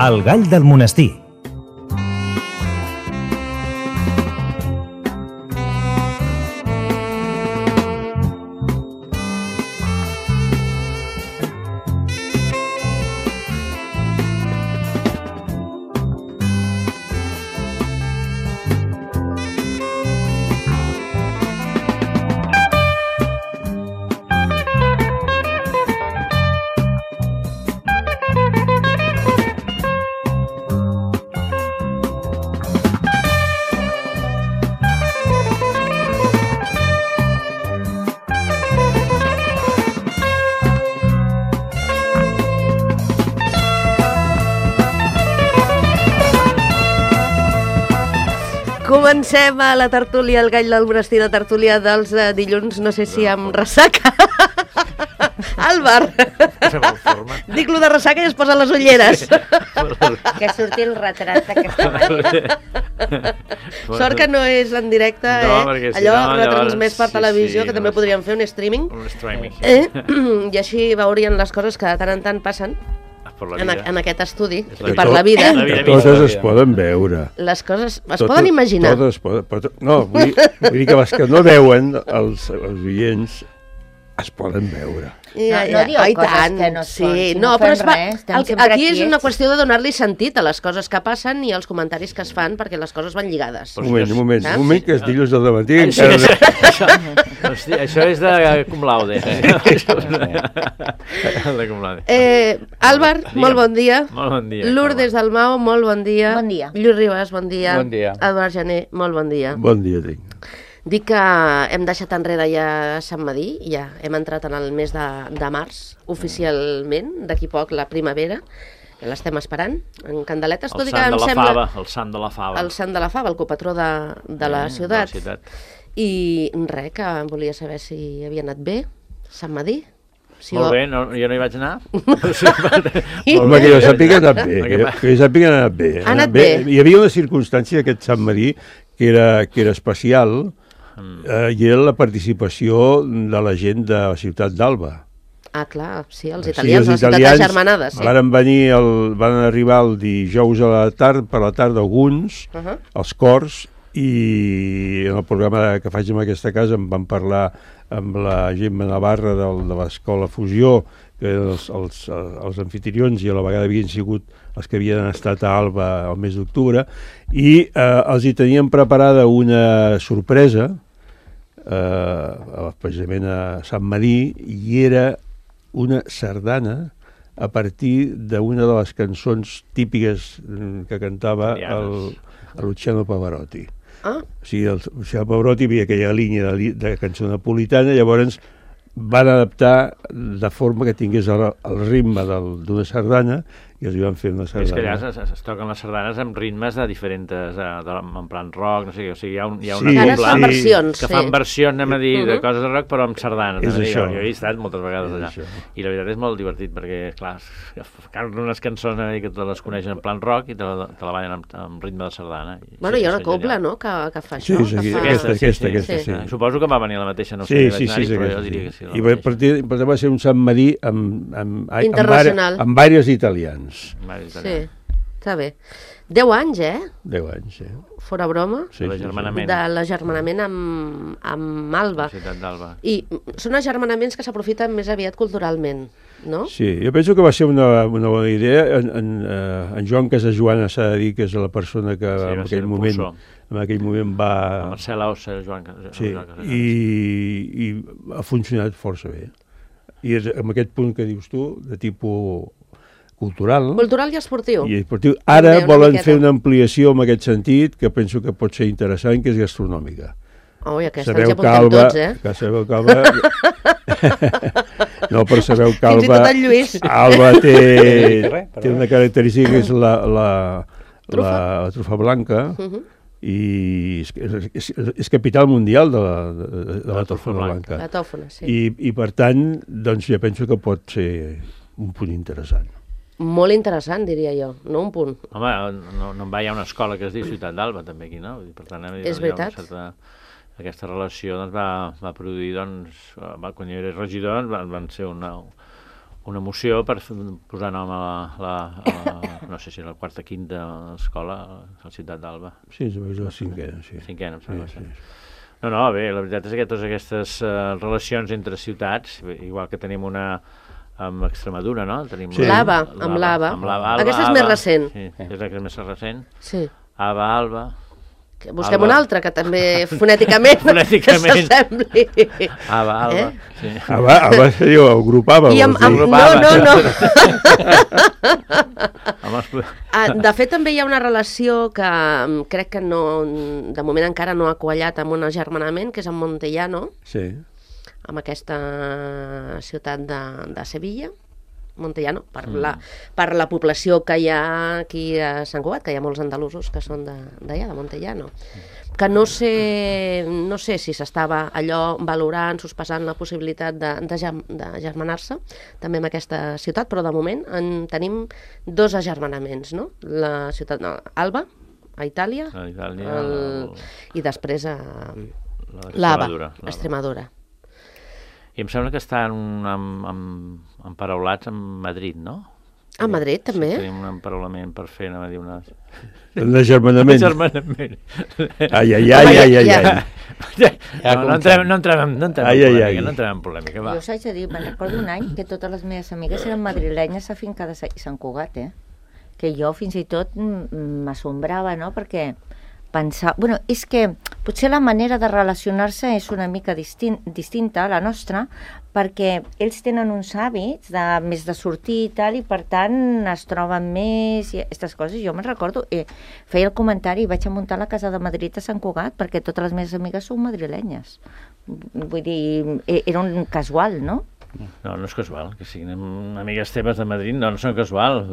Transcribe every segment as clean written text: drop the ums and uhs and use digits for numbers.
El gall del monestir. Comencem a la tertúlia, el gall del monestir, la tertúlia dels dilluns, no sé si amb ressaca. Àlvar, dic lo de ressaca i es posa les ulleres. Que surti el retrat d'aquesta manera. Sort que no és en directe, allò retransmès per televisió, que també podríem fer un streaming. I així veurien les coses que de tant en tant passen en aquest estudi i per la vida. Totes es poden veure. Les coses es poden imaginar. Totes es poden... No, vull dir que les que no veuen, els oients, es poden veure. No dieu coses que no són, si no fem res, estem sempre aquí és quiets. una qüestió de donar-li sentit a les coses que passen i als comentaris que es fan, perquè les coses van lligades. Un moment, que és dilluns del dematí. Això és de cum laude. Àlvar, molt bon dia. Molt bon dia. Lourdes Dalmau, molt bon dia. Bon dia. Lluís Ribas, bon dia. Bon dia. Eduard Jané, molt bon dia. Bon dia, tinc. Dic que hem deixat enrere ja Sant Madí, ja hem entrat en el mes de març, oficialment, d'aquí poc la primavera, que l'estem esperant, en candeletes, tot i que em sembla... El sant de la fava. El sant de la fava, el copatró de la ciutat. I res, que volia saber si havia anat bé, Sant Madí. Molt bé, jo no hi vaig anar. Home, que jo sàpiga que ha anat bé. Ha anat bé. Hi havia una circumstància d'aquest Sant Madí que era especial, i era la participació de la gent de la ciutat d'Alba. Ah, clar, sí, els italians, la ciutat agermanada, sí. Van arribar el dijous a la tarda, per la tarda alguns, els cors, i en el programa que faig en aquesta casa em van parlar amb la Gemma Navarra de l'Escola Fusió, que eren els anfitrions i a la vegada havien sigut els que havien estat a Alba el mes d'octubre, i els hi tenien preparada una sorpresa, precisament a Sant Madí, i era una sardana a partir d'una de les cançons típiques que cantava el Luciano Pavarotti. O sigui, el Luciano Pavarotti havia aquella línia de cançó napolitana, llavors van adaptar de forma que tingués el ritme d'una sardana i els hi van fer una sardana. És que allà es toquen les sardanes amb ritmes de diferents, en plan rock, no sé què, o sigui, hi ha Ara es fan versions, que fan versions, anem a dir, de coses de rock, però amb sardanes. És això. Jo he estat moltes vegades allà. I la veritat és molt divertit, perquè, clar, canten unes cançons que te les coneixen en plan rock i te la ballen amb ritme de sardana. Bueno, hi ha una cobla, no?, que fa això. Sí, aquesta, sí. Suposo que va venir la mateixa, no sé, però jo diria que sí. I per tant va ser un Sant Madí amb diversos italians. Sí, està bé. 10 anys, 10 anys, Fora broma. Sí, de l'agermanament amb Alba. La ciutat d'Alba. I són agermanaments que s'aprofiten més aviat culturalment, no? Sí, jo penso que va ser una bona idea. En Joan Casajoana s'ha de dir que és la persona que en aquell moment va... Marcel Aussa, Joan Casajoana. Sí, i ha funcionat força bé. I és amb aquest punt que dius tu, de tipus cultural i esportiu. Ara volen fer una ampliació en aquest sentit, que penso que pot ser interessant, que és gastronòmica. I aquesta ens hi apuntem tots, Que sabeu que Alba... No, però sabeu que Fins i tot el Lluís. Alba té una característica que és la trufa blanca, i és capital mundial de la trufa blanca. La tòfona, sí. I per tant, doncs jo penso que pot ser un punt interessant. Molt interessant, diria jo, no un punt. Home, no hi ha una escola que es diu Ciutat d'Alba, també aquí, no? Per tant, és veritat. Aquesta relació va produir, quan jo era regidor, van ser una moció per posar nom a no sé si la quarta, quinta escola a la ciutat d'Alba. Sí, és la cinquena, sí. Cinquena, em sembla. Sí. No, bé, la veritat és que totes aquestes relacions entre ciutats, igual que tenim una amb Extremadura, no? Tenim l'Ava, amb l'Ava. Aquesta és més recent. Sí, és la que és més recent. Sí. Alba. Busquem una altra que també fonèticament s'assembli. Alba. Sí. Alba seria el grup Ava. No. De fet, també hi ha una relació que crec que de moment encara no ha quallat amb un agermanament, que és amb Montellano, amb aquesta ciutat de Sevilla. Montellano, per la població que hi ha aquí a Sant Cugat, que hi ha molts andalusos que són d'allà, de Montellano. Que no sé si s'estava allò valorant, sospesant la possibilitat d'agermanar-se també amb aquesta ciutat, però de moment en tenim 2 agermanaments, no? La ciutat Alba, a Itàlia, i després l'Ava, a Extremadura. I em sembla que estan emparaulats amb Madrid, no? A Madrid, també? Sí, tenim un emparaulament per fer, anava a dir una... Un agermanament. Ai. No entrem en polèmica, va. Jo us haig de dir, me'n recordo un any que totes les meves amigues eren madrilenyes afincades a Sant Cugat, que jo fins i tot m'assombrava, no?, perquè pensar... Bueno, és que potser la manera de relacionar-se és una mica distinta a la nostra, perquè ells tenen uns hàbits més de sortir i tal, i per tant es troben més i aquestes coses. Jo me'n recordo, feia el comentari i vaig a muntar la casa de Madrid a Sant Cugat perquè totes les meves amigues són madrilenyes. Vull dir, era un casual, no? No és casual, que siguin amigues teves de Madrid, no són casual.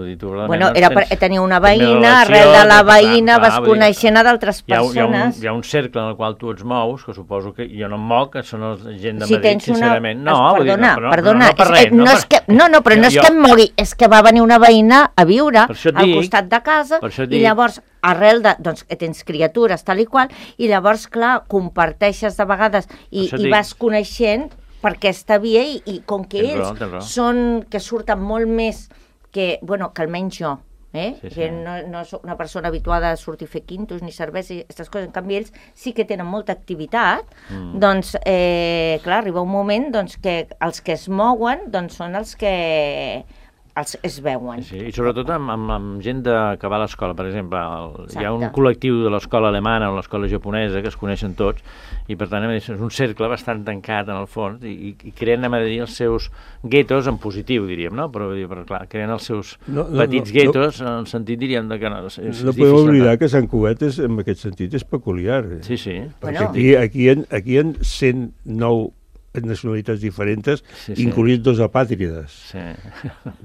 Bueno, era per tenir una veïna, arrel de la veïna vas coneixent a d'altres persones. Hi ha un cercle en el qual tu et mous, que suposo que jo no em moc, que són gent de Madrid, sincerament. Perdona, però no és que em mogui, és que va venir una veïna a viure al costat de casa i llavors arrel de, doncs, que tens criatures tal i qual, i llavors, clar, comparteixes de vegades i vas coneixent per aquesta via i com que ells són que surten molt més que almenys jo, que no soc una persona habituada a sortir a fer quintos ni cervesa i aquestes coses, en canvi ells sí que tenen molta activitat, doncs clar, arriba un moment que els que es mouen són els que es veuen. Sí, i sobretot amb gent que va a l'escola, per exemple, hi ha un col·lectiu de l'escola alemana o l'escola japonesa que es coneixen tots i per tant és un cercle bastant tancat en el fons i creen, a dir, els seus guetos en positiu, diríem, no? Però clar, creen els seus petits guetos en el sentit, diríem, que no és difícil. No podem oblidar que Sant Cugat en aquest sentit és peculiar. Sí. Perquè aquí hi ha 109 nacionalitats diferents, incloïts 2 apàtrides. Sí.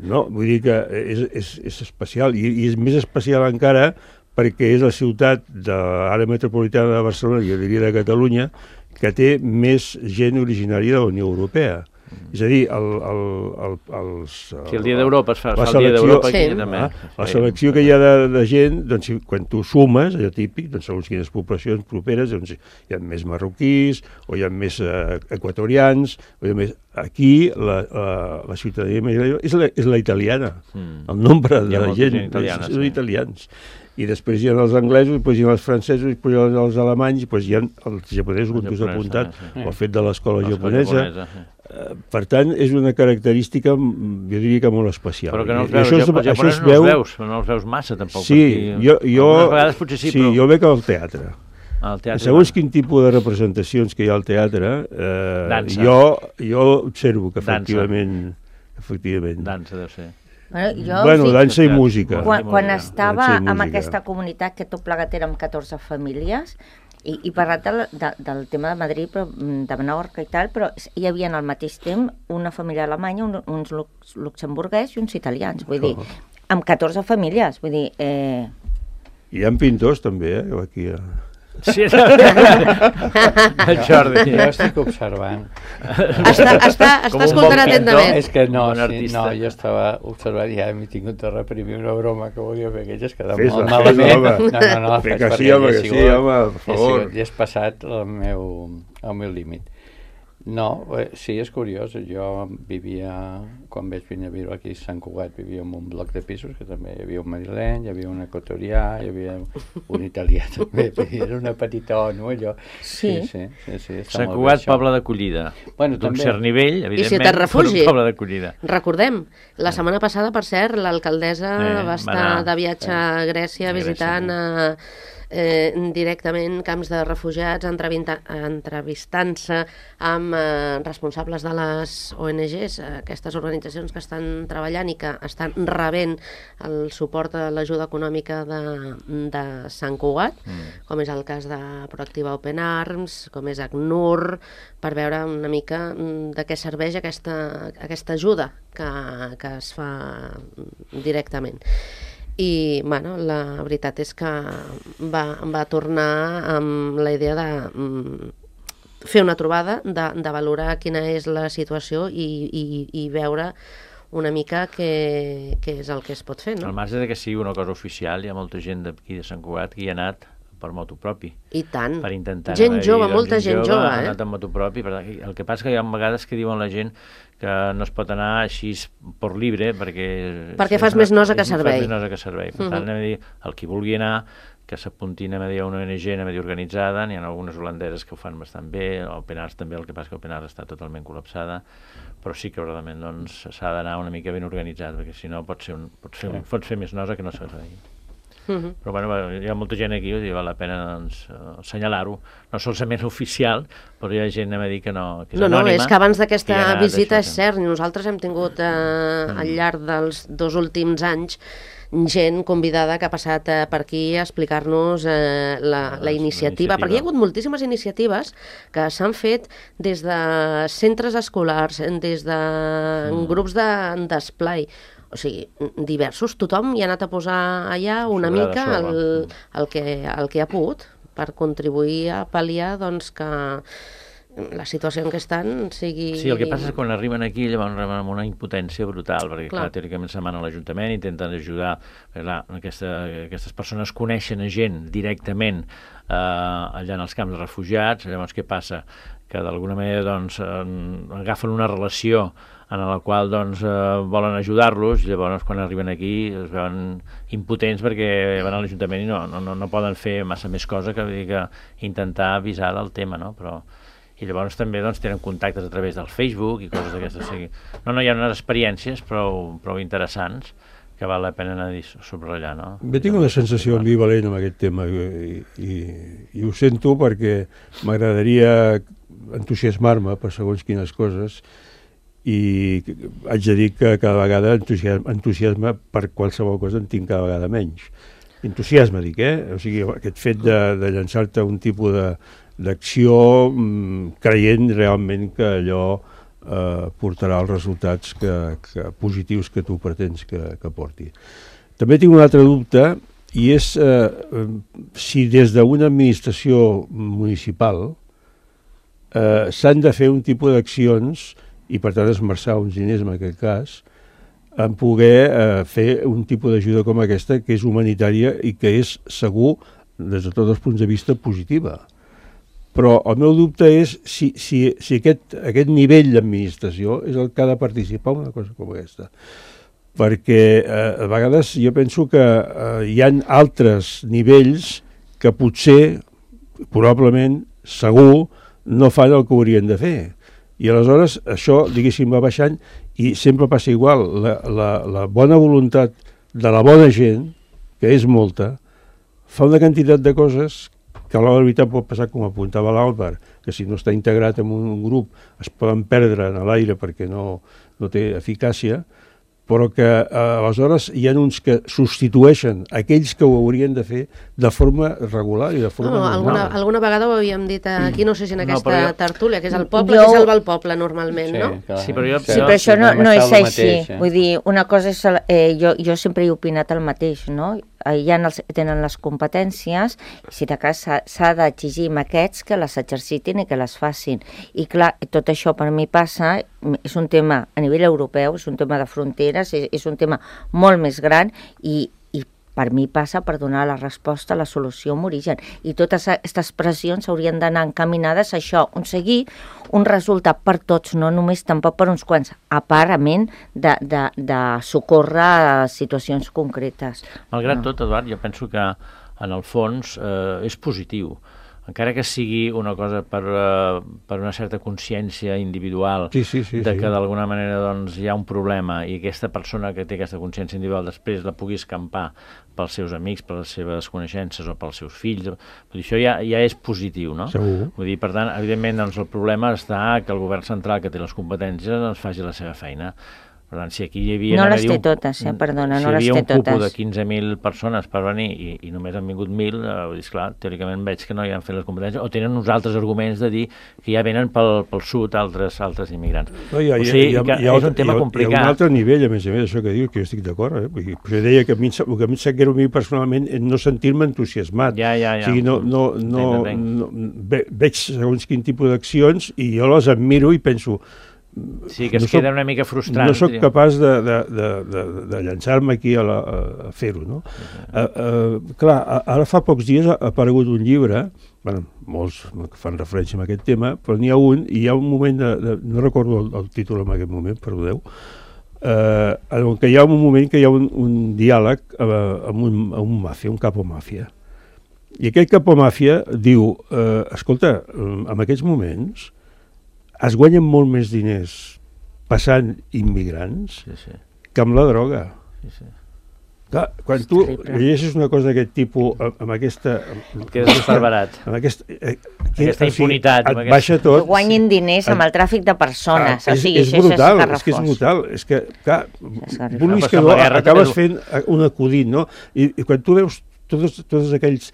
No? Vull dir que és especial, i és més especial encara perquè és la ciutat de l'àrea metropolitana de Barcelona, jo diria de Catalunya, que té més gent originària de la Unió Europea. És a dir, el Dia d'Europa es fa el Dia d'Europa aquí també. La selecció que hi ha de gent, doncs, quan tu sumes, allò típic, doncs, segons quines poblacions properes, doncs, hi ha més marroquís, o hi ha més equatorians, o hi ha més... Aquí la ciutadania és la italiana. El nombre de gent són italians. I després hi ha els anglesos, després hi ha els francesos, després hi ha els alemanys, després hi ha els japonesos, com tu has apuntat, el fet de l'escola japonesa. Per tant, és una característica, jo diria que molt especial. Però que no els veus, no els veus massa, tampoc. Sí, jo vegades potser sí, però... jo veig al teatre. Segons quin tipus de representacions que hi ha al teatre, jo observo que efectivament... Dansa deu ser. Bueno, dansa i música. Quan estava en aquesta comunitat, que tot plegat érem 14 famílies, i parlat del tema de Madrid, però de Menorca i tal, però hi havia al mateix temps una família alemanya, uns luxemburguès i uns italians, vull dir, amb 14 famílies, vull dir... Hi ha pintors també, aquí a... Sí, el Jordi. Jo estic observant. Està escoltant atentament. És que no, jo estava observant i ja m'he tingut de reprimir una broma que volia fer, que ja es quedava molt malament. No, faig perquè sí, home, per favor. Ja has passat el meu límit. No, sí, és curiós. Jo vivia, quan vaig venir a viure aquí a Sant Cugat, vivia en un bloc de pisos, que també hi havia un madrileny, hi havia un equatorià, hi havia un italià també, era una petita ONU, allò. Sí. Sant Cugat, poble d'acollida. Bueno, d'un cert nivell, evidentment, I ciutat refugi. Un poble d'acollida. Recordem, la setmana passada, per cert, l'alcaldessa va estar de viatge a Grècia visitant directament camps de refugiats, entrevistant-se amb responsables de les ONGs, aquestes organitzacions que estan treballant i que estan rebent el suport de l'ajuda econòmica de Sant Cugat, com és el cas de Proactiva Open Arms, com és ACNUR, per veure una mica de què serveix aquesta ajuda que es fa directament. I bueno, la veritat és que va tornar amb la idea de fer una trobada, de valorar quina és la situació i veure una mica què és el que es pot fer, no? Al marge que sigui una cosa oficial, hi ha molta gent d'aquí de Sant Cugat que hi ha anat per moto propi. I tant. Per intentar gent jove, molta gent jove. Ha anat amb moto propi. El que passa és que hi ha vegades que diuen la gent que no es pot anar així per libre perquè fas més nosa que servei. Fas més nosa que servei. Per tant, el qui vulgui anar, que s'apuntin a una ONG organitzada, n'hi ha algunes holandeses que ho fan bastant bé, Open Arms també, el que passa que Open Arms està totalment col·lapsada, però sí que realment s'ha d'anar una mica ben organitzat, perquè si no pot fer més nosa que no servei. Però bueno, hi ha molta gent aquí, val la pena assenyalar-ho, no solament oficial, però hi ha gent a dir que no, que és anònima. No, és que abans d'aquesta visita és cert, nosaltres hem tingut al llarg dels 2 últims anys gent convidada que ha passat per aquí a explicar-nos la iniciativa, perquè hi ha hagut moltíssimes iniciatives que s'han fet des de centres escolars, des de grups d'esplai, o sigui, diversos, tothom hi ha anat a posar allà una mica el que ha pogut per contribuir a pal·liar que la situació en què estan sigui... Sí, el que passa és que quan arriben aquí llavors arriben amb una impotència brutal, perquè clar, teòricament se'n van a l'Ajuntament, intenten ajudar, clar, aquestes persones coneixen a gent directament allà en els camps de refugiats, llavors què passa? Que d'alguna manera agafen una relació en la qual volen ajudar-los, llavors quan arriben aquí es veuen impotents perquè van a l'Ajuntament i no poden fer massa més cosa que intentar avisar del tema, no? I llavors també tenen contactes a través del Facebook i coses d'aquestes. Hi ha unes experiències prou interessants que val la pena anar a subratllar, no? Bé, tinc una sensació ambivalent amb aquest tema i ho sento perquè m'agradaria entusiasmar-me per segons quines coses i haig de dir que cada vegada entusiasme per qualsevol cosa en tinc cada vegada menys. Entusiasme, dic, O sigui, aquest fet de llançar-te un tipus d'acció creient realment que allò portarà els resultats positius que tu pretens que porti. També tinc un altre dubte i és si des d'una administració municipal s'han de fer un tipus d'accions i per tant esmerçar uns diners en aquest cas en poder fer un tipus d'ajuda com aquesta que és humanitària i que és segur des de tots els punts de vista positiva. Però el meu dubte és si aquest nivell d'administració és el que ha de participar en una cosa com aquesta. Perquè a vegades jo penso que hi ha altres nivells que potser, probablement, segur, no fan el que haurien de fer. I aleshores això, diguéssim, va baixant i sempre passa igual. La bona voluntat de la bona gent, que és molta, fa una quantitat de coses que a la veritat pot passar, com apuntava l'Àlvar, que si no està integrat en un grup es poden perdre en l'aire perquè no té eficàcia, però que aleshores hi ha uns que substitueixen aquells que ho haurien de fer de forma regular i de forma normal. Alguna vegada ho havíem dit aquí, no sé si en aquesta tertúlia, que és el poble que salva el poble normalment, no? Sí, però això no és així. Vull dir, una cosa és... Jo sempre he opinat el mateix, no? Ja tenen les competències, si de cas s'ha d'exigir amb aquests que les exercitin i que les facin. I clar, tot això per mi passa, és un tema a nivell europeu, és un tema de fronteres, és un tema molt més gran i per mi passa per donar la resposta a la solució amb origen. I totes aquestes pressions haurien d'anar encaminades a això, aconseguir un resultat per tots, no només tampoc per uns quants, a part de socórrer a situacions concretes. Malgrat tot, Eduard, jo penso que en el fons és positiu. Encara que sigui una cosa per una certa consciència individual que d'alguna manera doncs, hi ha un problema i aquesta persona que té aquesta consciència individual després la pugui escampar pels seus amics, per les seves coneixences o pels seus fills, vull dir, això ja és positiu, no? Segur. Vull dir, per tant, evidentment doncs, el problema està que el govern central que té les competències doncs, faci la seva feina. Per tant, si aquí hi havia... No les té totes, perdona, no les té totes. Si hi havia un cupo de 15.000 persones per venir i només han vingut 1.000, vull dir, esclar, teòricament veig que no hi han fet les competències, o tenen uns altres arguments de dir que ja venen pel sud altres immigrants. No, o sigui, és un tema complicat. Hi ha un altre nivell, a més, això que dius, que jo estic d'acord. Jo deia que a mi em sap greu a mi personalment no sentir-me entusiasmat. O sigui, veig segons quin tipus d'accions i jo les admiro i penso... Sí, que es queda una mica frustrant. No soc capaç de llançar-me aquí a fer-ho, no? Clar, ara fa pocs dies ha aparegut un llibre, molts fan referència a aquest tema, però n'hi ha un, i hi ha un moment, no recordo el títol en aquest moment, perdoneu, en què hi ha un moment que hi ha un diàleg amb un màfia, un capo màfia. I aquest capo màfia diu, escolta, en aquests moments es guanyen molt més diners passant immigrants que amb la droga. Clar, quan tu llegeixes una cosa d'aquest tipus amb aquesta... Quedes esparverat. Amb aquesta impunitat. Et baixa tot. Que guanyin diners amb el tràfic de persones. És brutal, és que és brutal. És que, clar, vulguis que no, acabes fent un acudit, no? I quan tu veus totes aquells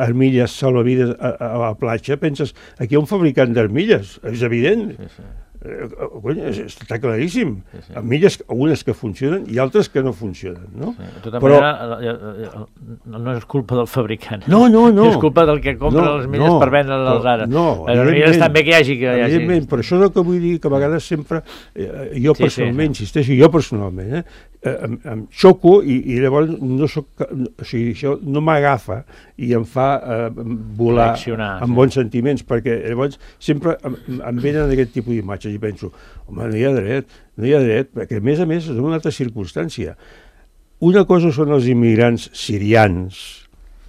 armilles salvavides a la platja, penses, aquí hi ha un fabricant d'armilles, és evident. Està claríssim. Armilles, algunes que funcionen i altres que no funcionen, no? De tota manera, no és culpa del fabricant. No. És culpa del que compra les armilles per vendre-les ara. No, evidentment. També que hi hagi... Evidentment, però això és el que vull dir, que a vegades sempre, jo personalment, insisteixo, jo personalment, em xoco i llavors no soc... O sigui, això no m'agafa i em fa volar amb bons sentiments, perquè llavors sempre em venen aquest tipus d'imatges i penso, home, no hi ha dret, perquè a més és una altra circumstància. Una cosa són els immigrants sirians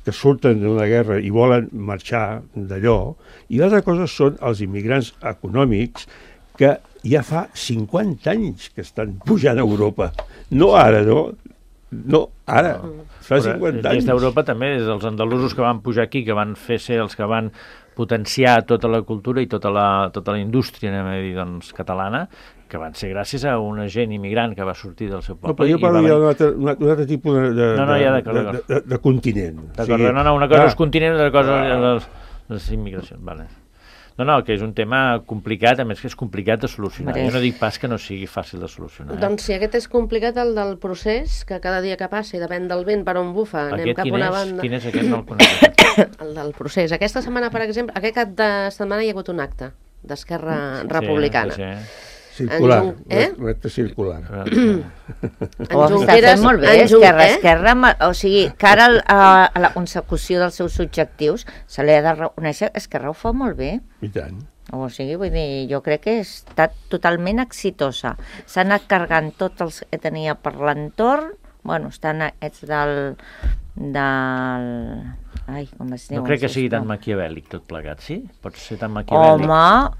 que surten d'una guerra i volen marxar d'allò, i l'altra cosa són els immigrants econòmics que ja fa 50 anys que estan pujant a Europa. No ara, no ara, fa 50 anys. Des d'Europa també, des dels andalusos que van pujar aquí, que van fer ser els que van potenciar tota la cultura i tota la indústria, anem a dir, doncs, catalana, que van ser gràcies a una gent immigrant que va sortir del seu poble. No, però jo parlo d'un altre tipus de continent. D'acord, una cosa és continent i una cosa les immigracions, vale. No, que és un tema complicat, a més que és complicat de solucionar. Jo no dic pas que no sigui fàcil de solucionar. Doncs si aquest és complicat, el del procés, que cada dia que passi depèn del vent per on bufa, anem cap a una banda... Quin és aquest? No el conec. El del procés. Aquesta setmana, per exemple, aquest cap de setmana hi ha hagut un acte d'Esquerra Republicana. Circular, recte circular. Ho està fent molt bé, Esquerra, o sigui, que ara a la consecució dels seus objectius se li ha de reconèixer que Esquerra ho fa molt bé. I tant. O sigui, vull dir, jo crec que ha estat totalment exitosa. S'ha anat carregant tots els que tenia per l'entorn, bueno, estan aquests del... Ai, com es diu? No crec que sigui tan maquiavèlic tot plegat, sí? Pot ser tan maquiavèlic?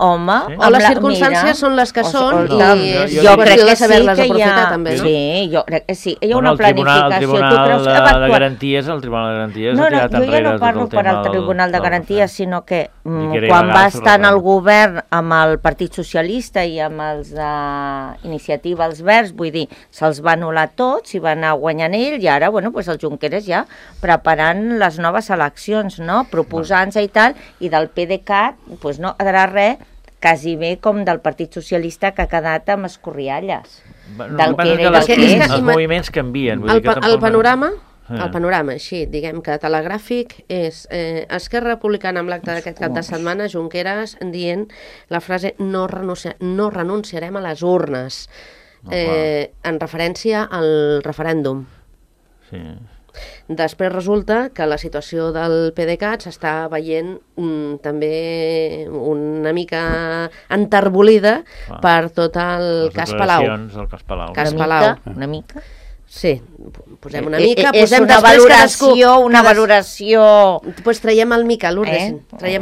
Home... Sí? O les circumstàncies són les que són i jo crec que sí que hi ha... també, no? Sí, jo crec que sí. Hi ha una planificació. El Tribunal de Garanties, el Tribunal de Garanties ha tirat enrere tot el tema... Jo ja no parlo per al Tribunal de Garanties, sinó que quan va estar en el govern amb el Partit Socialista i amb els d'Iniciativa els Verds, vull dir, se'ls va anul·lar tots i va anar guanyant ell i ara, bueno, el Junqueras ja preparant les noves eleccions, no? Proposant-se i tal, i del PDeCAT, doncs no quedarà res, quasi bé com del Partit Socialista que ha quedat amb escorrialles. Els moviments canvien. El panorama, així, diguem que telegràfic, és Esquerra Republicana amb l'acte d'aquest cap de setmana, Junqueras dient la frase no renunciarem a les urnes, en referència al referèndum. Sí. Després resulta que la situació del PDeCAT s'està veient també una mica enterbolida per tot el cas Palau. Cas Palau. Una mica. Sí, posem una mica... És una valoració... Doncs traiem el mica, Lourdes.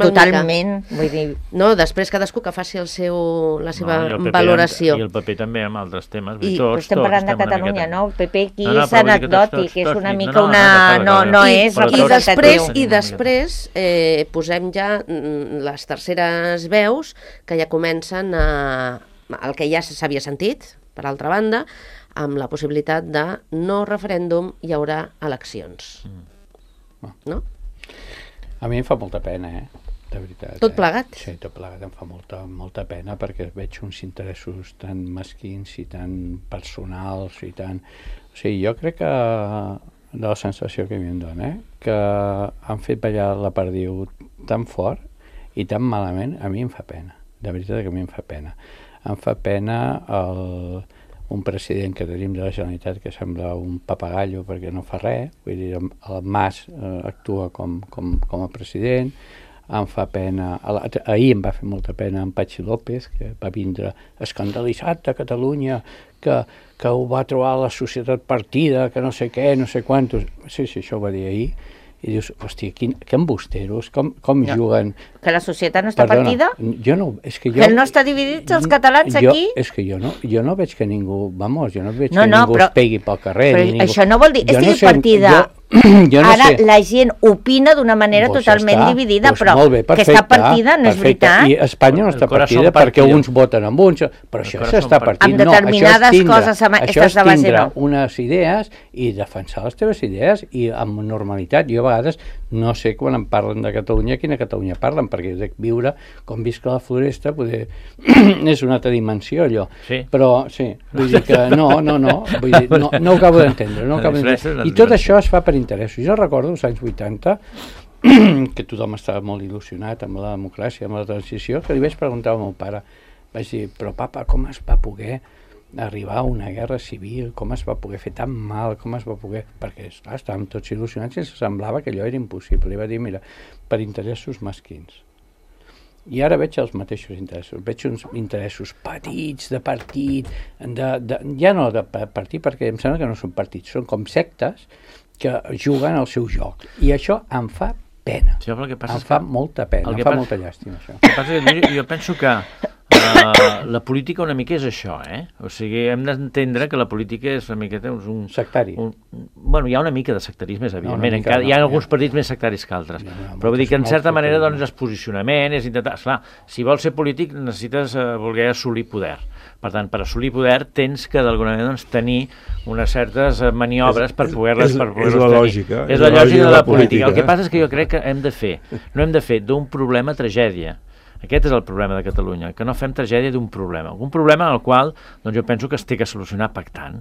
Totalment. Vull dir... No, després cadascú que faci la seva valoració. I el PP també amb altres temes. Estem parlant de Catalunya, no? El PP aquí és anecdòtic, és una mica una... No és representatiu. I després posem ja les terceres veus que ja comencen el que ja s'havia sentit, per altra banda, amb la possibilitat de no referèndum hi haurà eleccions. No? A mi em fa molta pena, de veritat. Tot plegat? Sí, tot plegat em fa molta pena perquè veig uns interessos tan mesquins i tan personals i tan... O sigui, jo crec que de la sensació que a mi em dona, que han fet ballar la perdiu tan fort i tan malament, a mi em fa pena. De veritat que a mi em fa pena. Em fa pena un president que tenim de la Generalitat que sembla un papagallo perquè no fa res, vull dir, el Mas actua com a president, em fa pena, ahir em va fer molta pena en Patxi López, que va vindre escandalitzat de Catalunya, que ho va trobar la societat partida, que no sé què, no sé quantos, sí, això ho va dir ahir, i dius, hòstia, que embusteros, com juguen... Que la societat no està partida? Jo no, és que jo... Que no està dividits els catalans aquí? És que jo no veig que ningú, vamos, jo no veig que ningú es pegui pel carrer. Però això no vol dir, estigui partida... Ara la gent opina d'una manera totalment dividida, però que està partida no és veritat. I Espanya no està partida perquè uns voten amb uns, però això s'està partint. Amb determinades coses, això és tindre unes idees i defensar les teves idees i amb normalitat. Jo a vegades no sé quan em parlen de Catalunya quina Catalunya parlen, perquè jo dic viure com visc a la floresta és una altra dimensió allò. Però sí, vull dir que no ho acabo d'entendre. I tot això es fa per interessos. Jo recordo als anys 80 que tothom estava molt il·lusionat amb la democràcia, amb la transició, que li vaig preguntar al meu pare, vaig dir, però papa, com es va poder arribar a una guerra civil, com es va poder fer tan mal, com es va poder... Perquè, esclar, estàvem tots il·lusionats i semblava que allò era impossible. I va dir, mira, per interessos mesquins. I ara veig els mateixos interessos. Veig uns interessos petits, de partit, ja no de partit, perquè em sembla que no són partits, són com sectes que juguen al seu joc. I això em fa pena. Sí, em fa molta pena, em fa molta llàstima, això. El que passa que jo penso que la política una mica és això, O sigui, hem d'entendre que la política és una miqueta... Sectari. Bueno, hi ha una mica de sectarisme, evidentment. Hi ha alguns partits més sectaris que altres. Però vull dir que, en certa manera, doncs, és posicionament, és intentar... Esclar, si vols ser polític necessites voler assolir poder. Per tant, per assolir poder tens que, d'alguna manera, doncs, tenir unes certes maniobres per poder-les tenir. És la lògica. És la lògica de la política. El que passa és que jo crec que no hem de fer d'un problema tragèdia. Aquest és el problema de Catalunya, que no fem tragèdia d'un problema. Un problema en el qual doncs, jo penso que es té que solucionar pactant.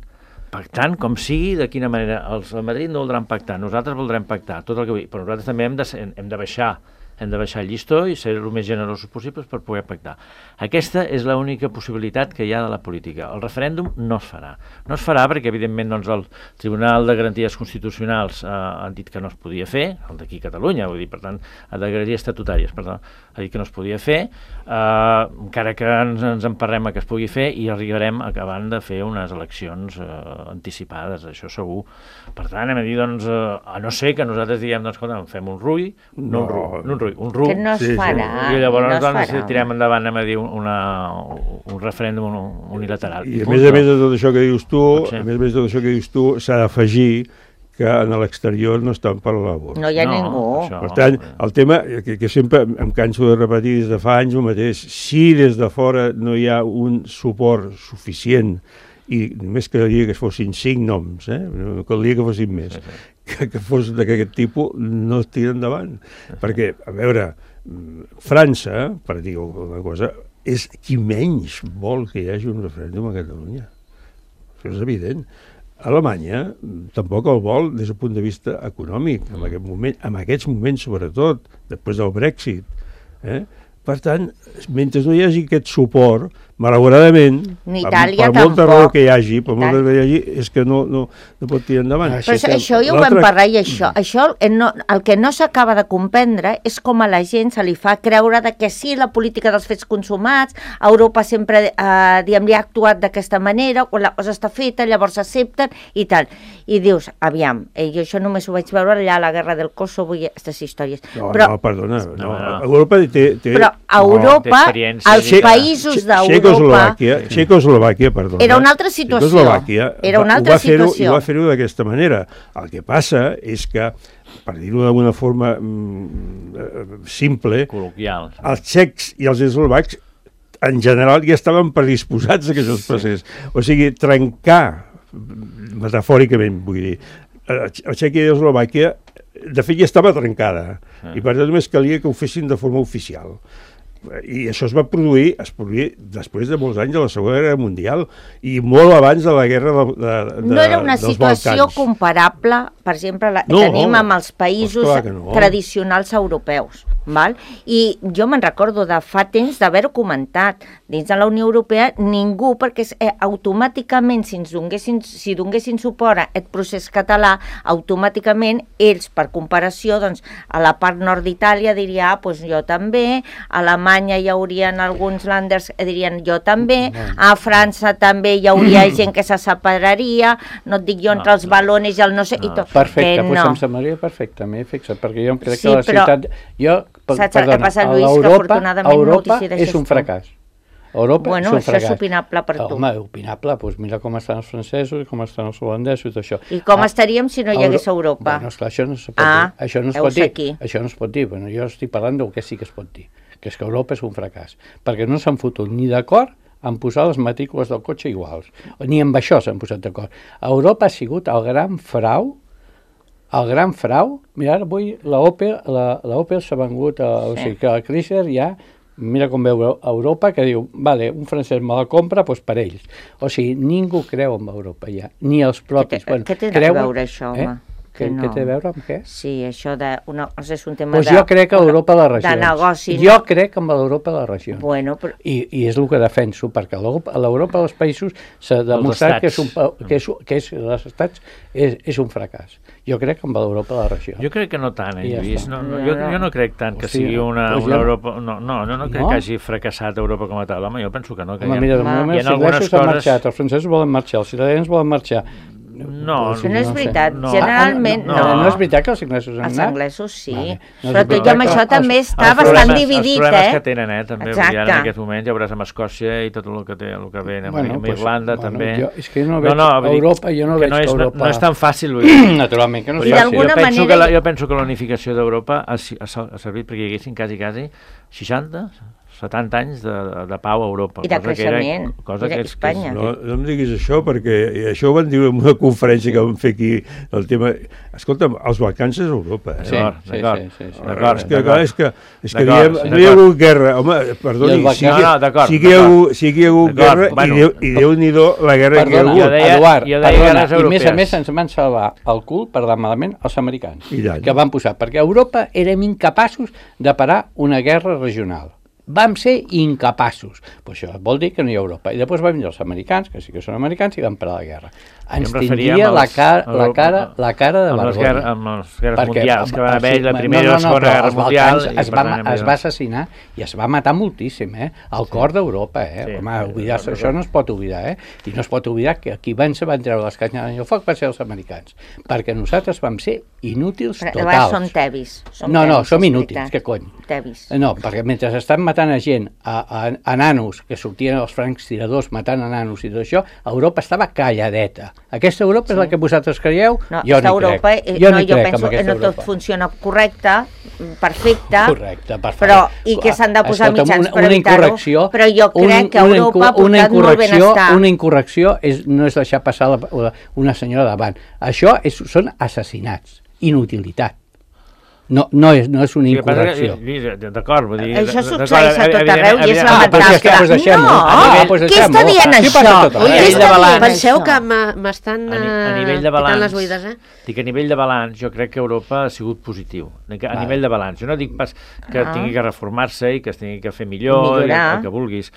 Pactant com sigui, de quina manera. Els a Madrid no voldran pactar, nosaltres voldrem pactar, tot el que vull. Però nosaltres també hem de baixar el llistó i ser el més generosos possibles per poder pactar. Aquesta és l'única possibilitat que hi ha de la política. El referèndum no es farà. No es farà perquè, evidentment, doncs, el Tribunal de Garanties Constitucionals ha dit que no es podia fer, el d'aquí a Catalunya, vull dir, per tant, de garanties estatutàries, per tant, ha dit que no es podia fer, encara que ens emparrem a que es pugui fer i arribarem acabant de fer unes eleccions anticipades, això segur. Per tant, hem de dir, doncs, a no ser que nosaltres diguem, doncs, escolta, fem un RUI, un RUI. Que no es farà. I llavors doncs, tirem endavant, a dir, un referèndum unilateral. I a més de tot això que dius tu, s'ha d'afegir que en l'exterior no estan per la labor. No hi ha ningú. Per tant, el tema que sempre em canso de repetir des de fa anys el mateix, si des de fora no hi ha un suport suficient, i només caldria que fossin 5 noms, no caldria que fossin més, que fos d'aquest tipus, no es tira endavant. Perquè, a veure, França, per dir alguna cosa, és qui menys vol que hi hagi un referèndum a Catalunya. Això és evident. Alemanya tampoc el vol des del punt de vista econòmic, en aquests moments sobretot, després del Brexit. Per tant, mentre no hi hagi aquest suport, malauradament, Itàlia, per molta raó que hi hagi, és que no pot tirar endavant. Però això ja ho vam parlar, i això el que no s'acaba de comprendre és com a la gent se li fa creure que sí, la política dels fets consumats, Europa sempre li ha actuat d'aquesta manera, quan la cosa està feta, llavors s'accepten i tal. I dius, aviam, jo això només ho vaig veure allà a la guerra del Kosovo i aquestes històries. Perdona, Europa té... Però a Europa, als països d'Europa... Txecoslovàquia, perdona. Era una altra situació. Era una altra situació. I va fer-ho d'aquesta manera. El que passa és que, per dir-ho d'alguna forma simple, col·loquial, els txecs i els eslovacs en general ja estaven predisposats a que això es passés. O sigui, trencar, metafòricament vull dir, a Txèquia i Eslovàquia, de fet ja estava trencada, i per tant només calia que ho fessin de forma oficial. I això es produir després de molts anys de la Segona Guerra Mundial i molt abans de la guerra dels Balcans. No era una situació comparable, per exemple, tenim amb els països tradicionals europeus. I jo me'n recordo de fa temps d'haver-ho comentat. Dins de la Unió Europea ningú, perquè automàticament si donessin suport a aquest procés català, automàticament ells, per comparació, a la part nord d'Itàlia diria, doncs jo també, a Alemanya hi haurien alguns landers que dirien jo també, a França també hi hauria gent que se separaria, no et dic jo entre els balones i el no sé... Perfecte, doncs em semblaria perfecte, m'he fixat, perquè jo em crec que la ciutat... Saps el que passa, Lluís, que afortunadament Europa és un fracàs. Europa és un fracàs. Això és opinable per tu. Home, opinable, doncs mira com estan els francesos, com estan els holandesos i tot això. I com estaríem si no hi hagués Europa? Bueno, esclar, això no es pot dir. Això no es pot dir. Bueno, jo estic parlant del que sí que es pot dir, que és que Europa és un fracàs, perquè no s'han fotut ni d'acord en posar les matrícules del cotxe iguals, ni amb això s'han posat d'acord. Europa ha sigut el gran frau. Mira, ara avui l'Opel s'ha vengut, o sigui que el Chrysler ja, mira com veu Europa, que diu, vale, un francès me la compra, doncs per ells. O sigui, ningú creu en Europa ja, ni els propis. Què té de veure això, home? Què té a veure amb què? Sí, això és un tema jo crec que l'Europa de les regions. De negoci. Jo crec en l'Europa de les regions. Bueno, però... I és el que defenso, perquè l'Europa dels països s'ha demostrat que els estats és un fracàs. Jo crec en l'Europa de les regions. Jo crec que no tant, Lluís. Jo no crec tant que sigui una Europa... No crec que hagi fracassat Europa com a tal. Home, jo penso que no. Mira, de moment els inglesos han marxat, els francesos volen marxar, els italians volen marxar. No és veritat, generalment no. No és veritat que els inglesos han anat? Els anglesos sí, però tot i amb això també està bastant dividit, Els problemes que tenen, també, en aquest moment ja veuràs amb Escòcia i tot el que ve, amb Irlanda també. És que jo no veig Europa, jo no veig que Europa... No és tan fàcil, naturalment que no és fàcil. Jo penso que la unificació d'Europa ha servit perquè hi haguessin quasi 60 70 anys de pau a Europa. I de creixement, i d'Espanya. No em diguis això, perquè això ho van dir en una conferència que vam fer aquí, el tema... Escolta'm, els Balcans és Europa. D'acord. És que no hi ha hagut guerra. Home, perdoni, sí que hi ha hagut guerra i Déu-n'hi-do la guerra que hi ha hagut. Eduard, i a més ens van salvar el cul, per anar malament, els americans, que van posar, perquè a Europa érem incapaços de parar una guerra regional. Vam ser incapaços. Pues això vol dir que no hi ha Europa. I després van venir els americans, que sí que són americans, i van parar la guerra. Ens tindria la cara de vergonya. Amb les guerres mundials que van haver, la primera i la segona guerra mundial... Es va assassinar i es va matar moltíssim, al cor d'Europa, Home, això no es pot oblidar, I no es pot oblidar que qui van treure les canyes al foc van ser els americans, perquè nosaltres vam ser inútils totals. Som tevis. No, som inútils, què cony? Tevis. No, perquè mentre estan matant a gent, a nanos, que sortien els francs tiradors matant a nanos i tot això, Europa estava calladeta. Aquesta Europa és la que vosaltres creieu? No, jo no crec. Jo penso que no tot funciona correcte, perfecte, però i que s'han de posar mitjans per evitar-ho, però jo crec que Europa ha portat molt benestar. Una incorrecció no és deixar passar una senyora davant. Això són assassinats, inutilitat. No és una incorrecció. D'acord, vull dir... Això succeeix a tot arreu i és lamentable. Què està dient això? Penseu que m'estan ficant les buides, Dic, a nivell de balanç, jo crec que Europa ha sigut positiu. A nivell de balanç. Jo no dic pas que tingui que reformar-se i que es tingui que fer millor, el que vulguis,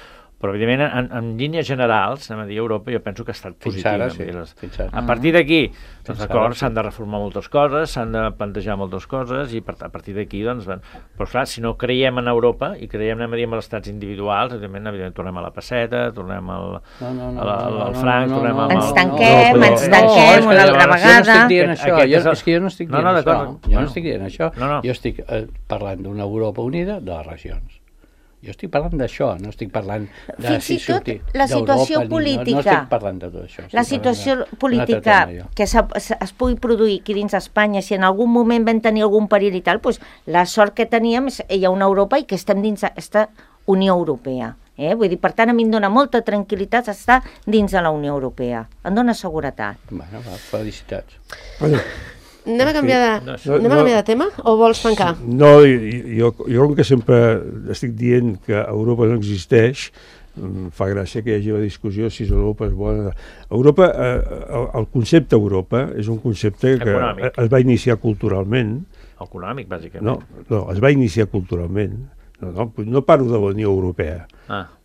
Però, evidentment, en línies generals, anem a dir, Europa, jo penso que ha estat positiva. Fins ara. A partir d'aquí, doncs, d'acord, s'han de reformar moltes coses, s'han de plantejar moltes coses, i a partir d'aquí, doncs, però clar, si no creiem en Europa i creiem, anem a dir, en els estats individuals, evidentment, tornem a la pesseta, tornem al franc, tornem al... Ens tanquem una altra vegada. És que jo no estic dient això. Jo no estic dient això. Jo estic parlant d'una Europa unida de les regions. Jo estic parlant d'això, no estic parlant de si sortir la situació política, no estic parlant de tot això. La situació política que es pugui produir aquí dins d'Espanya, si en algun moment vam tenir algun perill i tal, doncs la sort que teníem és hi ha una Europa i que estem dins aquesta Unió Europea. Vull dir, per tant, a mi em dona molta tranquil·litat estar dins de la Unió Europea. Em dona seguretat. Bueno, felicitats. Anem a canviar de tema o vols tancar? No, jo com que sempre estic dient que Europa no existeix, fa gràcia que hi hagi la discussió si Europa és bona. Europa, el concepte Europa és un concepte que es va iniciar culturalment. Econòmic, bàsicament. No, es va iniciar culturalment. No parlo de la Unió Europea,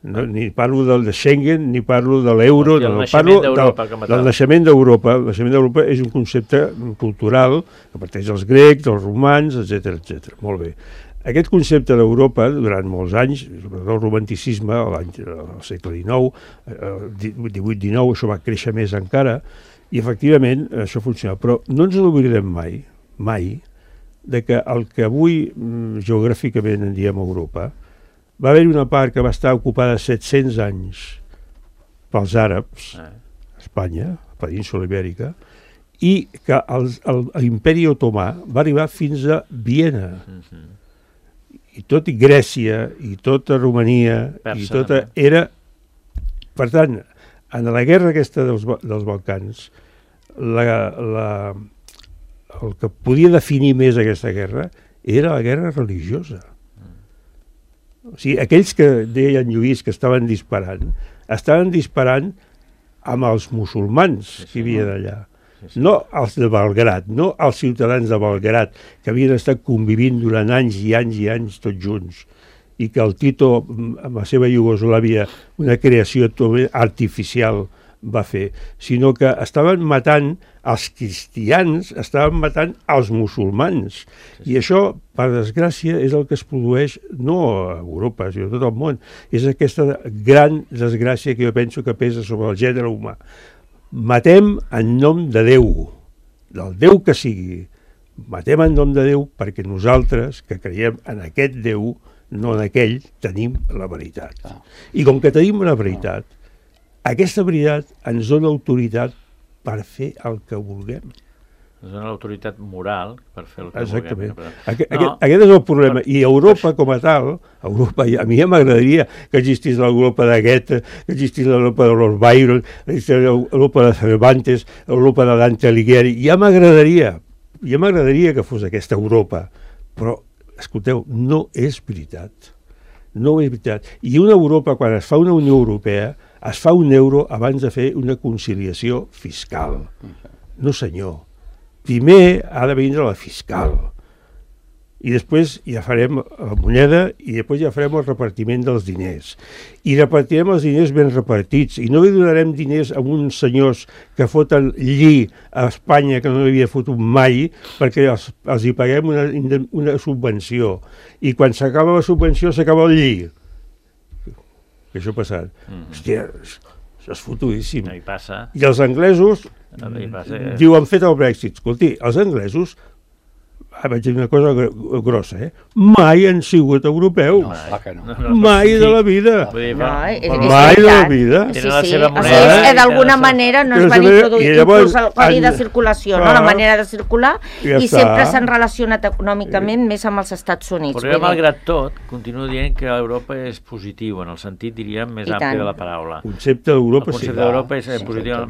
ni parlo de Schengen, ni parlo de l'euro, parlo del naixement d'Europa. El naixement d'Europa és un concepte cultural que parteix dels grecs, dels romans, etc. Molt bé. Aquest concepte d'Europa, durant molts anys, el romanticisme, al segle XIX, 18-19, això va créixer més encara, i efectivament això funciona. Però no ens n'oblidarem mai, de que el que avui geogràficament en diem Europa, va haver-hi una part que va estar ocupada 700 anys pels àrabs, Espanya, la península Ibèrica, i que l'imperi otomà va arribar fins a Viena. I tot i Grècia, i tota Romania, i tota era... Per tant, en la guerra aquesta dels Balcans, el que podia definir més aquesta guerra era la guerra religiosa. O sigui, aquells que deien Lluís que estaven disparant amb els musulmans que hi havia d'allà. No els de Belgrad, no els ciutadans de Belgrad, que havien estat convivint durant anys i anys i anys tots junts, i que el Tito, amb la seva Iugoslàvia, una creació artificial, va fer, sinó que estaven matant els cristians, estaven matant els musulmans. I això, per desgràcia, és el que es produeix no a Europa, sinó a tot el món. És aquesta gran desgràcia que jo penso que pesa sobre el gènere humà. Matem en nom de Déu, del Déu que sigui. Matem en nom de Déu perquè nosaltres, que creiem en aquest Déu, no en aquell, tenim la veritat. I com que tenim la veritat, aquesta veritat ens dona autoritat per fer el que vulguem. Ens dona l'autoritat moral per fer el que vulguem. Aquest és el problema. I Europa com a tal, a mi ja m'agradaria que existís l'Europa de Goethe, que existís l'Europa de Lord Byron, l'Europa de Cervantes, l'Europa de Dante Alighieri. Ja m'agradaria que fos aquesta Europa. Però, escolteu, no és veritat. No és veritat. I una Europa, quan es fa una Unió Europea, es fa un euro abans de fer una conciliació fiscal. No, senyor. Primer ha de vindre la fiscal. I després ja farem la moneda i després ja farem el repartiment dels diners. I repartirem els diners ben repartits. I no li donarem diners a uns senyors que foten lli a Espanya que no havia fotut mai perquè els hi paguem una subvenció. I quan s'acaba la subvenció s'acaba el lli. Que això ha passat. Hòstia, això és fotudíssim. No hi passa. I els anglesos diuen fet el Brexit. Escolti, els anglesos, vaig dir una cosa grossa, mai han sigut europeus. Mai de la vida. Mai de la vida. Tenen la seva moneda. D'alguna manera no es van introduir inclús el codi de circulació, la manera de circular, i sempre s'han relacionat econòmicament més amb els Estats Units. Però malgrat tot, continuo dient que Europa és positiu, en el sentit, diríem, més ampli de la paraula. El concepte d'Europa sí. El concepte d'Europa és positiu.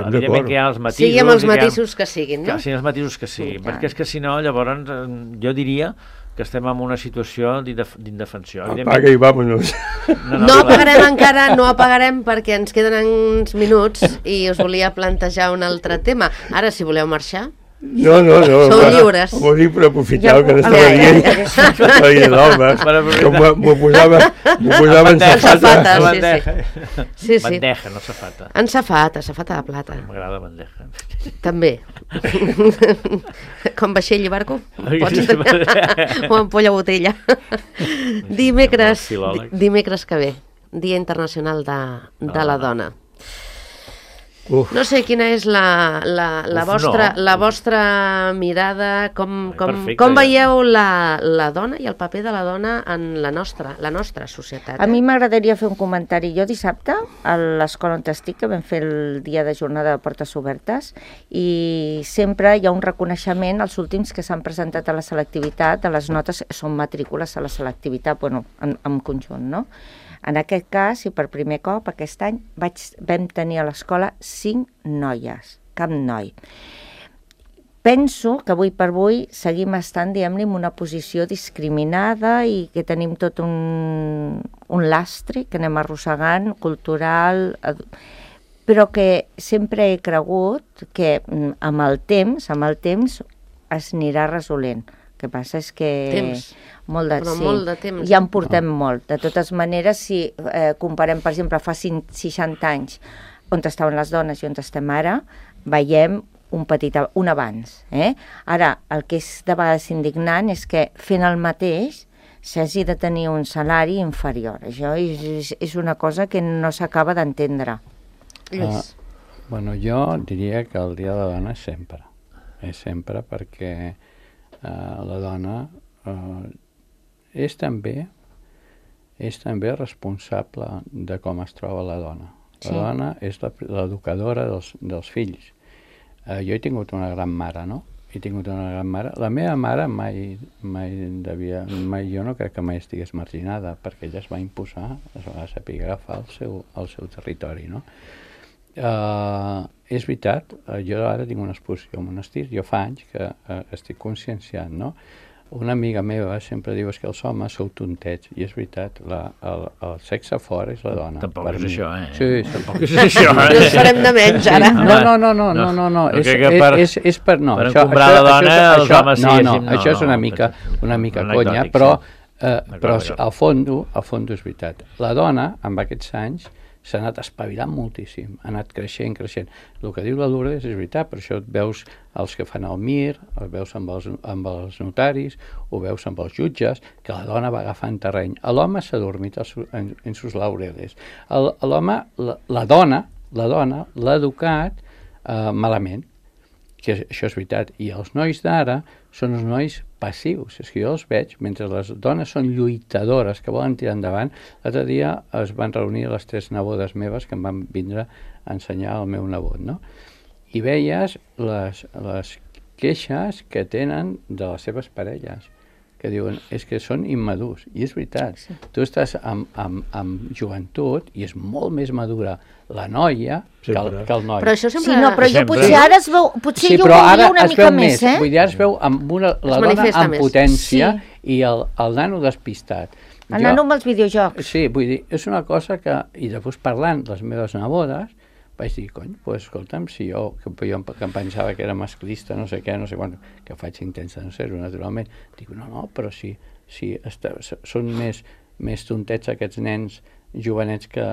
Evidentment que hi ha els matisos. Sigui amb els matisos que siguin, no? Sí, els matisos que siguin, perquè és que si no, llavors jo diria que estem en una situació d'indefensió. Apaga i vámonos. No apagarem encara, no apagarem perquè ens queden uns minuts i us volia plantejar un altre tema. Ara, si voleu marxar... No. Sou lliures. M'ho dic per aprofitar que n'estava dient. Estava dient l'home. M'ho posava en safata. Sí. Bandeja, no safata. En safata de plata. M'agrada bandeja. També. Com vaixell i barco? O ampolla botella. Dimecres que ve, Dia Internacional de la Dona. No sé quina és la vostra mirada, com veieu la dona i el paper de la dona en la nostra societat. A mi m'agradaria fer un comentari. Jo dissabte, a l'escola on estic, que vam fer el dia de jornada de portes obertes, i sempre hi ha un reconeixement als últims que s'han presentat a la selectivitat, a les notes, són matrícules a la selectivitat, bueno, en conjunt, no? En aquest cas, i per primer cop, aquest any, vam tenir a l'escola 5 noies, cap noi. Penso que avui per avui seguim estant, diguem-ne, en una posició discriminada i que tenim tot un lastre que anem arrossegant, cultural, però que sempre he cregut que amb el temps es anirà resolent. El que passa és que... Molt de temps. Ja en portem molt. De totes maneres, si comparem, per exemple, fa 60 anys on estaven les dones i on estem ara, veiem un avanç. Ara, el que és de vegades indignant és que fent el mateix s'hagi de tenir un salari inferior. Això és una cosa que no s'acaba d'entendre. Bueno, jo diria que el Dia de la Dona és sempre. És sempre perquè la dona és també responsable de com es troba la dona. La dona és l'educadora dels fills. Jo he tingut una gran mare, no? La meva mare jo no crec que mai estigués marginada, perquè ella es va imposar, es va saber agafar el seu territori, no? És veritat, jo ara tinc una exposició al monestir, jo fa anys que estic conscienciant, no? Una amiga meva sempre diu que els homes sou tontets, i és veritat, el sexe fort és la dona. Tampoc és això, Sí, tampoc és això, Ens farem de menys, ara. No. És per... No, per encombrar la dona, els homes sí. No, això és una mica conya, però al fons és veritat. La dona, amb aquests anys, s'ha anat espavilant moltíssim, ha anat creixent. El que diu la Lourdes és veritat, per això et veus els que fan el MIR, els veus amb els notaris, ho veus amb els jutges, que la dona va agafant terreny. L'home s'ha dormit en sus laureles. L'home, la dona l'ha educat malament, que això és veritat. I els nois d'ara són uns nois passius, és que jo els veig, mentre les dones són lluitadores, que volen tirar endavant. L'altre dia es van reunir les 3 nebodes meves que em van vindre a ensenyar el meu nebot, no? I veies les queixes que tenen de les seves parelles, que diuen, és que són immadurs, i és veritat. Sí. Tu estàs amb joventut i és molt més madura la noia que el noi. Però això sempre... Sí, no, però jo potser ara es veu... Potser jo ho veuria una mica més, Vull dir, ara es veu amb la dona amb potència i el nano despistat. El nano amb els videojocs. Sí, vull dir, és una cosa que... I després parlant les meves nebodes, vaig dir, escolta'm, si jo que em pensava que era masclista, no sé què, no sé quan, que faig intensa no ser-ho, naturalment, dic, no, però si són més tontets aquests nens jovenets que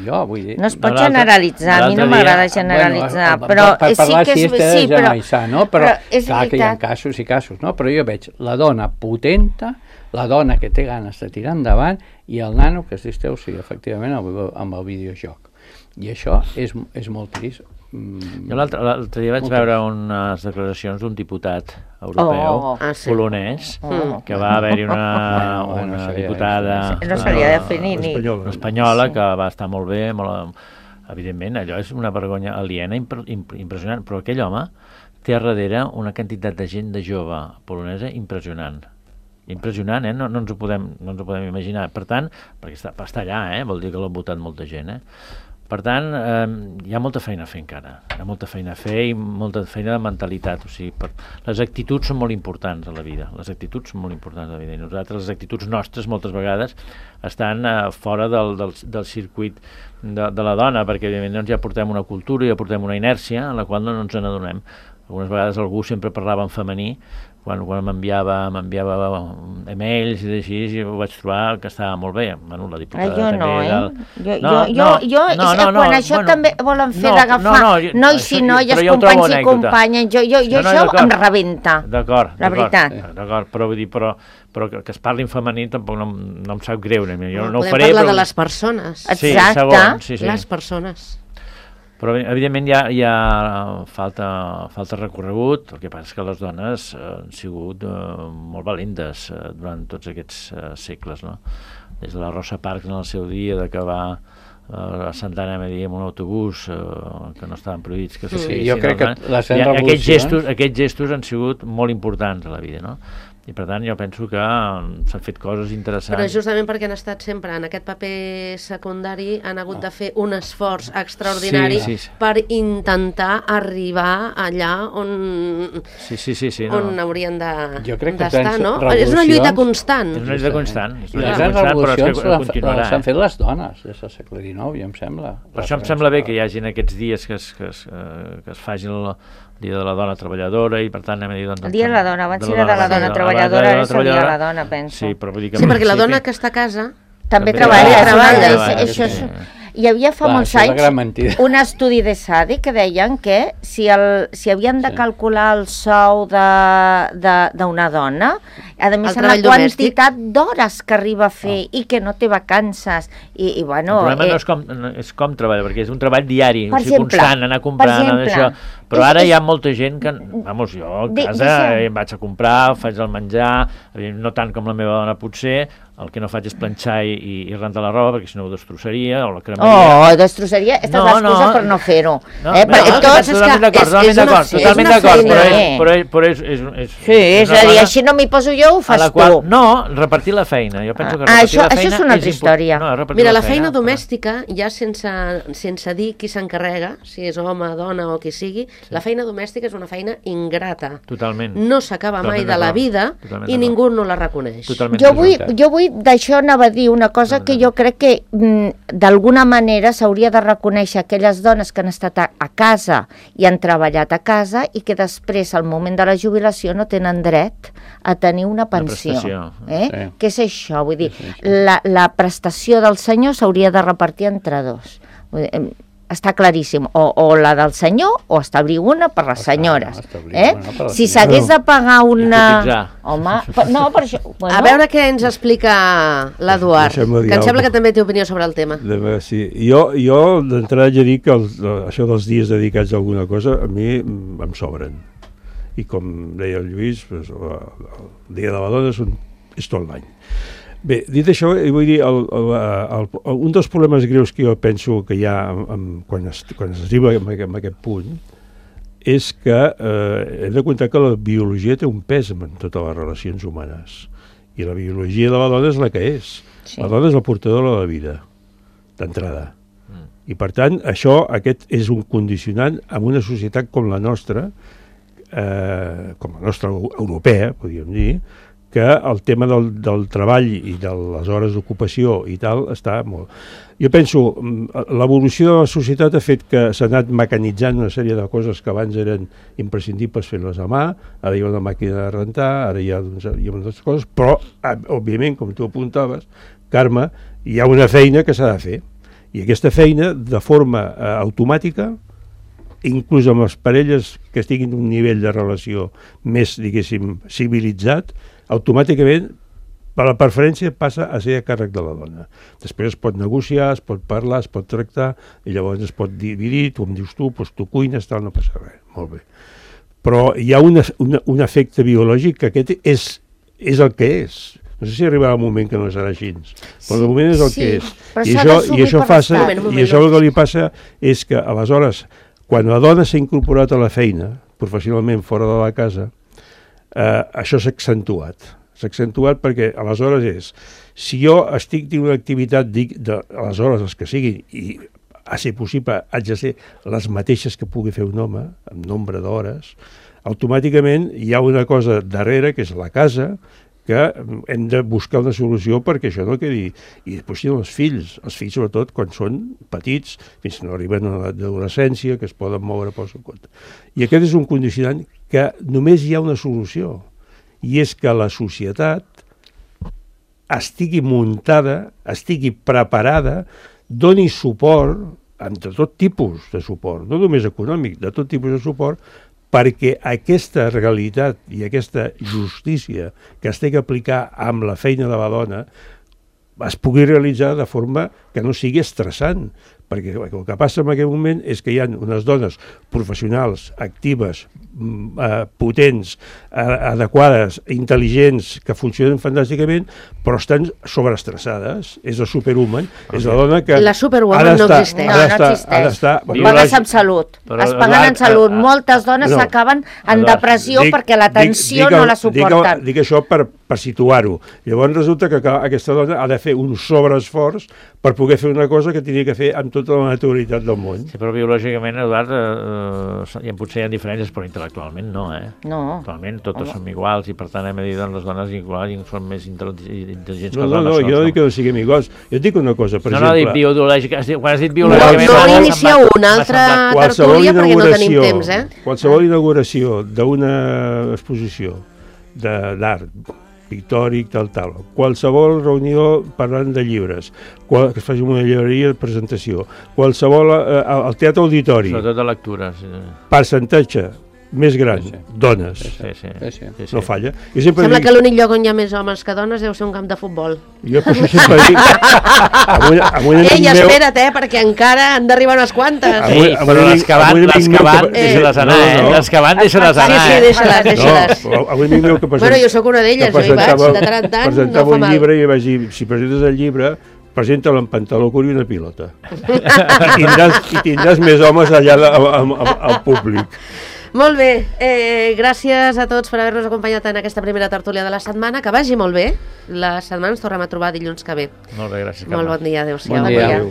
jo, vull dir... No es pot generalitzar, a mi no m'agrada generalitzar, però sí que és... Sí, però clar que hi ha casos i casos, no? Però jo veig la dona potenta, la dona que té ganes de tirar endavant, i el nano que es distreu, sí, efectivament, amb el videojoc. I això és molt trist. Jo l'altre dia vaig veure unes declaracions d'un diputat europeu polonès, que va haver-hi una diputada espanyola que va estar molt bé, evidentment, allò és una vergonya aliena impressionant, però aquell home té a darrere una quantitat de gent de jove polonesa impressionant, no ens ho podem imaginar. Per tant, perquè està allà, vol dir que l'ha votat molta gent, Per tant, hi ha molta feina a fer encara, hi ha molta feina a fer i molta feina de mentalitat, o sigui, les actituds són molt importants a la vida, i nosaltres les actituds nostres moltes vegades estan fora del circuit de la dona, perquè evidentment ja portem una cultura, ja portem una inèrcia en la qual no ens n'adonem. algunes vegades algú sempre parlava en femení, quan m'enviava emails i així, i ho vaig trobar que estava molt bé. Bueno, la diputada jo també... Quan això també volen fer d'agafar nois i noies, companys i companyes, jo això em rebenta. D'acord, la veritat. D'acord, però vull dir, però que es parli en femení tampoc no em sap greu. Jo no ho faré, podem parlar de les persones. Exacte. Les persones. Però, evidentment, hi ha falta recorregut. El que passa és que les dones han sigut molt valentes durant tots aquests segles, no? Des de la Rosa Parks en el seu dia, d'acabar a Santa Anna amb un autobús que no estaven prohibits. Jo crec que les revolucions... Aquests gestos han sigut molt importants a la vida, no? I per tant jo penso que s'han fet coses interessants. Però justament perquè han estat sempre en aquest paper secundari han hagut de fer un esforç extraordinari per intentar arribar allà on haurien d'estar, no? És una lluita constant. És una lluita constant. I les revolucions s'han fet les dones des del segle XIX, ja em sembla. Per això em sembla bé que hi hagi aquests dies que es faci el Dia de la Dona Treballadora i per tant anem a dir... El Dia de la Dona, abans era de la Dona Treballadora, és el Dia de la Dona, penso. Sí, perquè la dona que està a casa també treballa. Hi havia fa molts anys un estudi de SADI que deien que si havien de calcular el sou d'una dona, a més la quantitat d'hores que arriba a fer i que no té vacances i bueno... El problema no és com treballa, perquè és un treball diari, constant, anar comprant, això. Però ara hi ha molta gent que, vamos, jo a casa em vaig a comprar, faig el menjar, no tant com la meva dona potser, el que no faig és planxar i rentar la roba, perquè si no ho destrossaria, o la cremaria. Destrossaria, aquesta és l'excusa per no fer-ho. Totalment d'acord, però és... Sí, és a dir, així no m'hi poso jo, ho fas tu. No, repartir la feina, jo penso que repartir la feina... Això és una altra història. Mira, la feina domèstica, ja sense dir qui s'encarrega, si és home, dona o qui sigui, la feina domèstica és una feina ingrata. Totalment. No s'acaba mai de la vida i ningú no la reconeix. Jo vull d'això anava a dir una cosa que jo crec que d'alguna manera s'hauria de reconèixer aquelles dones que han estat a casa i han treballat a casa i que després al moment de la jubilació no tenen dret a tenir una pensió. Què és això? Vull dir, la prestació del senyor s'hauria de repartir entre dos. Està claríssim, o la del senyor o establir una per les senyores. Si s'hagués de pagar una... Home, no, per això... A veure què ens explica l'Eduard, que em sembla que també té opinió sobre el tema. Jo d'entrada ja dic que això dels dies dedicats a alguna cosa a mi em sobren. I com deia el Lluís, el Dia de la Dona és tot l'any. Bé, dit això, vull dir, un dels problemes greus que jo penso que hi ha quan es arriba a aquest punt és que hem de comptar que la biologia té un pes en totes les relacions humanes i la biologia de la dona és la que és. La dona és la portadora de la vida, d'entrada. I per tant, aquest és un condicionant en una societat com la nostra europea, podríem dir, que el tema del treball i de les hores d'ocupació i tal està molt... Jo penso, l'evolució de la societat ha fet que s'ha anat mecanitzant una sèrie de coses que abans eren imprescindibles fer-les a mà, ara hi ha una màquina de rentar, ara hi ha unes coses, però, òbviament, com tu apuntaves, Carme, hi ha una feina que s'ha de fer. I aquesta feina, de forma automàtica, inclús amb les parelles que estiguin en un nivell de relació més, diguéssim, civilitzat, automàticament per la preferència passa a ser a càrrec de la dona. Després es pot negociar, es pot parlar, es pot tractar, i llavors es pot dividir, tu em dius tu cuines, tal, no passa res, molt bé. Però hi ha un efecte biològic que aquest és el que és. No sé si arribarà un moment que no serà així, però de moment és el que és. I això el que li passa és que, aleshores, quan la dona s'ha incorporat a la feina, professionalment fora de la casa, això s'ha accentuat. S'ha accentuat perquè aleshores és, si jo estic dins una activitat, dic, aleshores les que siguin, i a ser possible haig de ser les mateixes que pugui fer un home, amb nombre d'hores, automàticament hi ha una cosa darrere, que és la casa, que hem de buscar una solució perquè això no quedi. I després tenen els fills sobretot quan són petits, fins que no arriben a l'edat d'adolescència, que es poden moure pel seu compte. I aquest és un condicionant que només hi ha una solució, i és que la societat estigui muntada, estigui preparada, doni suport, de tot tipus de suport, no només econòmic, de tot tipus de suport, perquè aquesta realitat i aquesta justícia que es té que aplicar amb la feina de la dona es pugui realitzar de forma que no sigui estressant, perquè el que passa en aquest moment és que hi ha unes dones professionals, actives, potents, adequades, intel·ligents, que funcionen fantàsticament, però estan sobreestressades. És el superwoman, és la dona que... La superwoman no existeix. No existeix. Pagues amb salut. Es paguen en salut. Moltes dones s'acaben en depressió perquè la tensió no la suporten. Dic això per situar-ho. Llavors resulta que aquesta dona ha de fer un sobreesforç per poder fer una cosa que tenia que fer amb tota la naturalitat del món. Sí, però biològicament, Eduard, potser hi ha diferències, però intel·lectualment no, No. Actualment totes som iguals i per tant hem de dir les dones iguals són més intel·ligents que els homes. No, jo no dic que no siguem iguals. Jo et dic una cosa, per exemple... No, dic biològica. Quan has dit biològicament... No inicia una altra tertúlia perquè no tenim temps, Qualsevol inauguració d'una exposició d'art pictòric, tal. Qualsevol reunió parlant de llibres, que es faci una llibreria de presentació, qualsevol... al teatre auditori... Sobretot de lectura, sí. Percentatge més gran, dones. Sí. No falla. Sembla que l'únic lloc on hi ha més homes que dones deu ser un camp de futbol. Jo per això sempre dic... Ei, espera't, perquè encara han d'arribar unes quantes. Però les que van, deixa-les anar, Les que van, deixa-les anar. Sí, deixa-les. Avui amic meu que Bueno, jo sóc una d'elles, jo hi vaig, de tant en tant, no fa mal. Presentava un llibre i vaig dir, si presentes el llibre, presenta-lo en pantaló curt i una pilota. I tindràs més homes allà al públic. Molt bé, gràcies a tots per haver-nos acompanyat en aquesta primera tertúlia de la setmana, que vagi molt bé. La setmana ens tornem a trobar dilluns que ve. Molt bé, gràcies. Molt bon dia, adéu-siau. Bon dia.